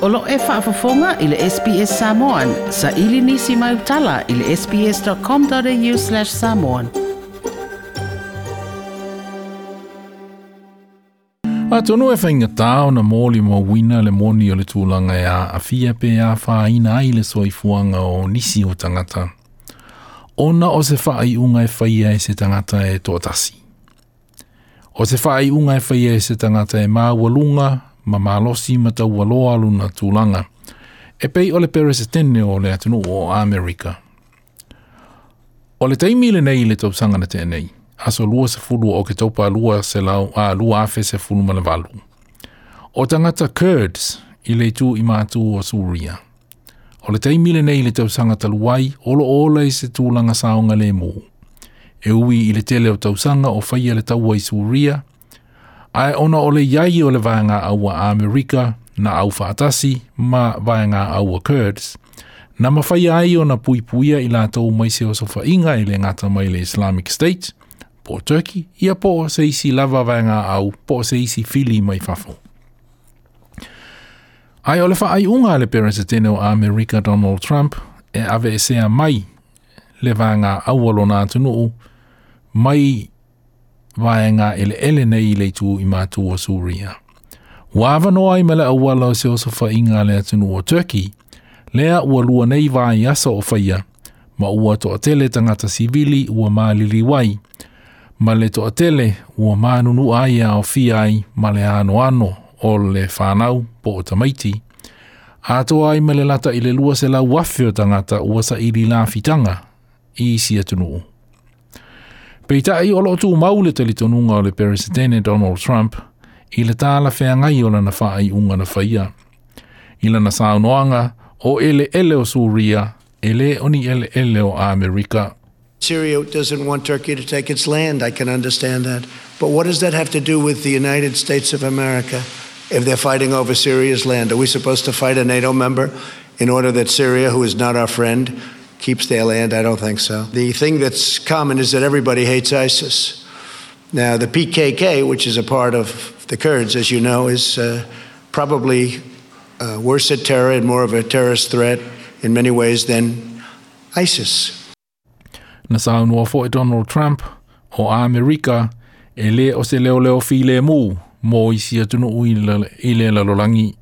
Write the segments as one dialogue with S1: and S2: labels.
S1: O lo o e faafofoga i le SBS Samoan, saili nisi mau tala i le sbs.com.au/samoan.
S2: Atonu e faigata ona molimauina le moni o le tulaga e aafia pe afaina ai le soifuaga o nisi o tagata, ona o se faaiuga e faia e se tagata e toatasi. O se faaiuga e faia e se tagata e maualuga ma malosi ma taualoa lona tulaga, e pei o le Peresetene o le atunuu o Amerika. O le taimi lenei i le tausaga na tea nei, aso 20 o Oketopa 2018, o tagata Kurds i le itu i matu o Suria. O le taimi lenei i le tausaga talu ai, o lo o ola i se tulaga saogalemu. E ui i le tele o tausaga o faia le taua i Suria, ae ona o le i ai o le vaega aua Amerika na aufaatasi ma vaega aua Kurds, na mafai ai ona puipuia i latou mai se osofaiga e le gata mai le Islamic State, po o Turkey, ia po o se isi lava vaega au, po o se isi fili mai fafo. Ae o le faaiuga a le Peresetene o Amerika Donald Trump e aveesea mai le vaega aua lona atunuu mai vaega eleele nei i le itu i matu o Suria. Ua avanoa ai ma le auala o se osofaiga a le atunuu o Turkey, lea ua lua nei vaiaso o faia, ma ua toatele tagata sivili ua maliliu ai, ma le toatele ua manunua ai e aofia ai ma le anoano o le fanau po o tamaiti, atoa ai ma le lata i le 200,000 o tagata ua saili lafitaga i isi atunuu. Peitai o lo o tumau le talitonuga o le Peresetene Donald Trump i le talafeagai o lana faaiuga na faia. I lana saunoaga, o eleele o Suria e le o ni eleele o Amerika.
S3: Syria doesn't want Turkey to take its land. I can understand that. But what does that have to do with the United States of America if they're fighting over Syria's land? Are we supposed to fight a NATO member in order that Syria, who is not our friend, keeps their land? I don't think so. The thing that's common is that everybody hates ISIS. Now, the PKK, which is a part of the Kurds, as you know, is probably worse at terror and more of a terrorist threat in many ways than ISIS.
S2: Na saunoa foi Donald Trump o Amerika e le o se leoleo filemu mo isi atunuu i le lalolagi.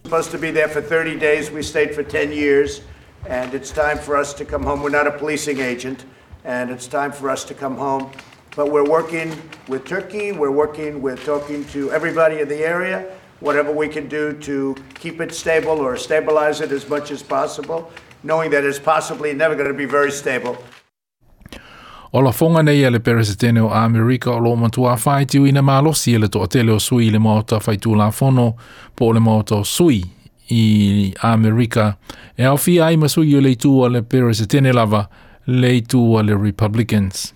S3: Supposed to be there for 30 days. We stayed for 10 years, and it's time for us to come home. We're not a policing agent, and it's time for us to come home. But we're working with Turkey. We're working with talking to everybody in the area, whatever we can do to keep it stable or stabilize it as much as possible, knowing that it's possibly never going to be very stable.
S2: O lafoga nei a le Peresetene o Amerika o lo o matua faitioina malosi e le toatele o sui i le Maota Faitulafono po o le Maota o Sui i Amerika e aofia ai ma sui o le itu a le Peresetene lava le itu a le Republicans.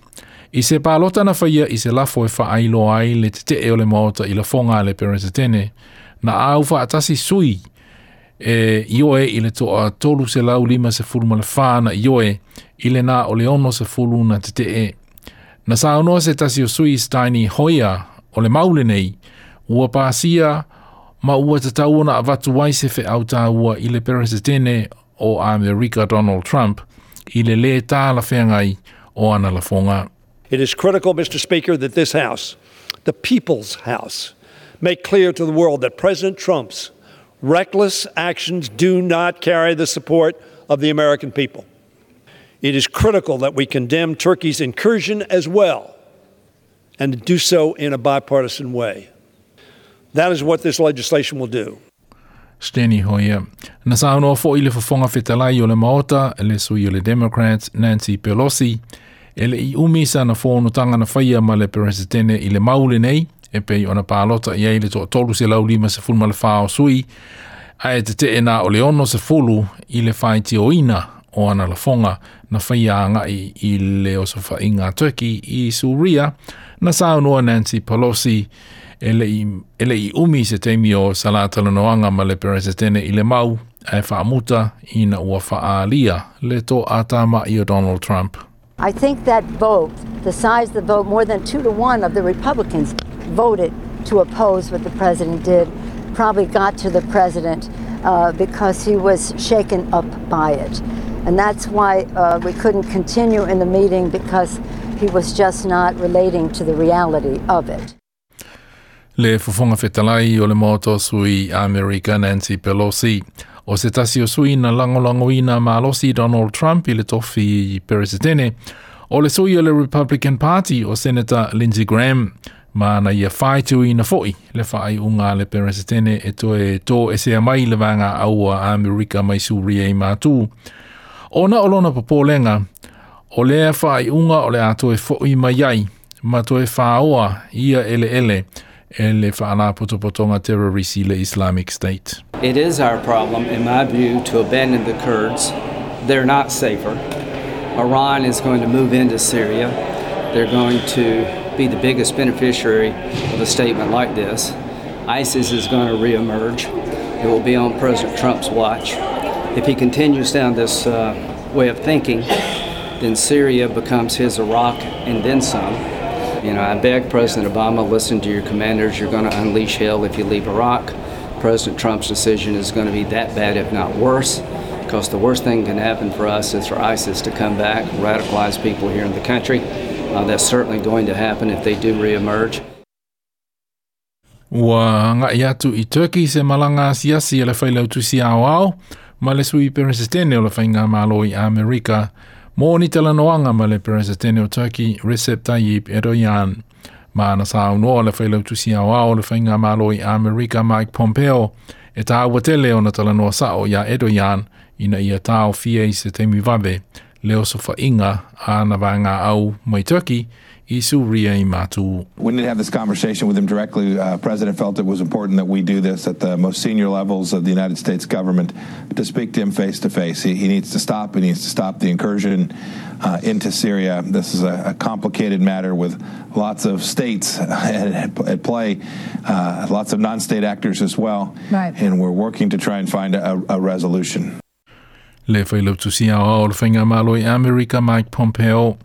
S2: I se palota na faia i se lafo e faailoa ai le tetee o le Maota i lafoga a le Peresetene, na au faatasi sui e ioe i le toa 354 na ioe i le na o le 60 na tetee. Na saunoa se tasi o sui Steny Hoyer o le mau lenei, ua pasia ma ua tatau ona avatu ai se feau taua i le Peresetene o Amerika Donald Trump i le lē talafeagai o ana lafoga.
S4: It is critical, Mr. Speaker, that this House, the People's House, make clear to the world that President Trump's reckless actions do not carry the support of the American people. It is critical that we condemn Turkey's incursion as well, and do so in a bipartisan way. That is what this legislation will do.
S2: Steny Hoyer. Na saunoa foi le Fofoga Fetalai o le Maota, le sui o le Democrats Nancy Pelosi, e le i umi sana fonotaga na faia ma le Peresetene i le mau lenei, e pei ona palota i ai le toa 354 o sui, ae tetee na o le 60 i le faitioina o ana lafoga na faia agai i le osofaiga a Turkey i Suria, na saunoa Nancy Pelosi e le i umi se taimi o sa la talanoaga ma le Peresetene i le mau, ae faamuta ina ua faaalia le toatama'i o Donald Trump.
S5: I think that vote, the size of the vote, more than 2-1 of the Republicans voted to oppose what the president did, probably got to the president. because he was shaken up by it. And that's why we couldn't continue in the meeting, because he was just not relating to the reality of it.
S2: Le fofoga fetalai o le Maota o Sui Amerika Nancy Pelosi. O se tasi o sui na lagolagoina malosi Donald Trump i le tofi peresetene. O le sui o le Republican Party o Senator Lindsey Graham ma na ia faitauina fo'i le faaiuga a le peresetene e toe toesea mai le vaega au a Amerika mai Suria i matu. Ona o lona popolega, o lea faaiuga o le a toe fo'i mai ai ma toe fāoa ia eleele e le faalapotopotoga terrorisi le Islamic State.
S6: It is our problem, in my view, to abandon the Kurds. They're not safer. Iran is going to move into Syria. They're going to be the biggest beneficiary of a statement like this. ISIS is going to reemerge. It will be on President Trump's watch. If he continues down this way of thinking, then Syria becomes his Iraq and then some. You know, I beg President Obama, listen to your commanders. You're going to unleash hell if you leave Iraq. President Trump's decision is going to be that bad, if not worse, because the worst thing can happen for us is for ISIS to come back, radicalize people here in the country. That's certainly going to happen if they do reemerge.
S2: Ua agai atu i Turkey se malaga asiasi a le failautusi aoao ma le sui peresetene o le Faigamalo i Amerika mo ni talanoaga ma le peresetene o Turkey Recep Tayyip Erdogan. Ma na saunoa le failautusi aoao o le Faigamalo i Amerika Mike Pompeo e tāua tele ona talanoa sa'o iā Erdogan ina ia taofia i se taimi vave le osofaiga a ana vaega au mai Turkey i Suria i matu.
S7: We need to have this conversation with him directly. President felt it was important that we do this at the most senior levels of the United States government to speak to him face to face. He needs to stop. He needs to stop the incursion into Syria. This is a complicated matter with lots of states at play, lots of non-state actors as well. And we're working to try and find a resolution.
S2: Le failautusi aoao o le Faigamalo i Amerika Mike Pompeo.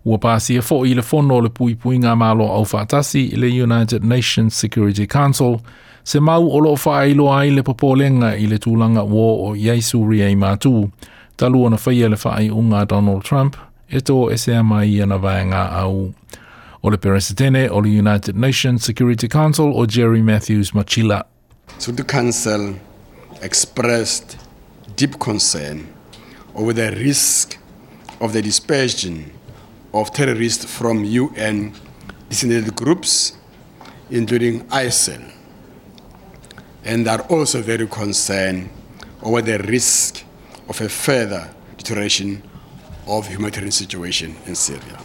S2: Ua pasia fo'i le fono o le Puipuiga Malo Aufaatasi le United Nations Security Council se mau o loo faailoa ai le popolega i le tulaga ua oo i ai Suria i matu talu ona faia le faaiuga a Donald Trump e toesea mai ana vaega au. O le Peresetene o le United Nations Security Council o Jerry Matthews Matjila.
S8: Security Council expressed deep concern over the risk of the dispersion of terrorists from UN designated groups, including ISIL, and are also very concerned over the risk of a further deterioration of humanitarian situation in Syria.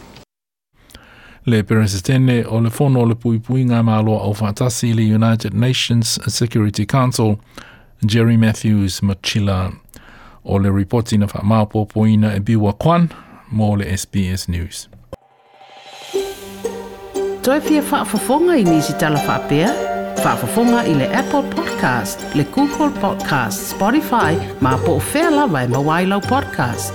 S2: Le Peresetene o le Fono o le Puipuiga Malo Aufaatasi le United Nations Security Council, Jerry Matthews Matjila. O le ripoti na faamaopoopoina e Biwa Kwan mo le SBS News.
S1: Toe fia faafofoga i nisi tala faapea? Faafofoga i le Apple Podcast, le Google Podcast, Spotify, ma po o fea lava e maua ai lau podcast.